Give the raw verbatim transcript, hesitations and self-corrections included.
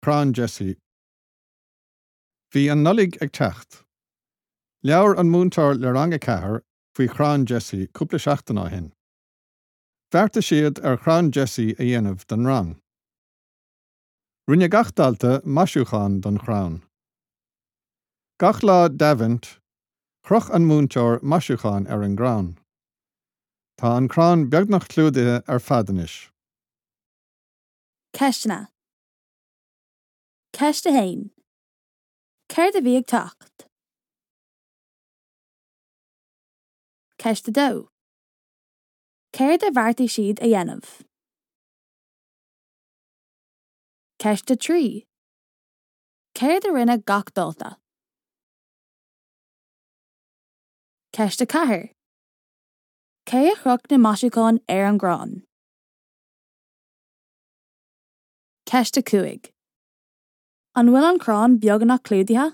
Crann Jesse. Bhí an Nollaig ag teacht. Labhair an múinteoir le rang a ceathair faoi chrann Jesse cúpla seachtain ó shin. Bheartaigh siad ar chrann Jesse a dhéanamh don rang. Rinne gach dalta maisiúchán don chrann. Gach lá d'Aidbhint, chroch an múinteoir maisiúchán ar an gcrann. Tá an crann beagnach clúdaithe ar fad anois. Ceisteanna. Ceist a haon. Céard a bhí ag teacht? Ceist a dó. Céard a bheartaigh siad a dhéanamh? Ceist a trí. Céard a rinne gach dalta? Ceist a ceathair. Cé a chroch na maisiúcháin ar an gcrann? Ceist a cúig. An bhfuil an crann beagnach clúdaithe?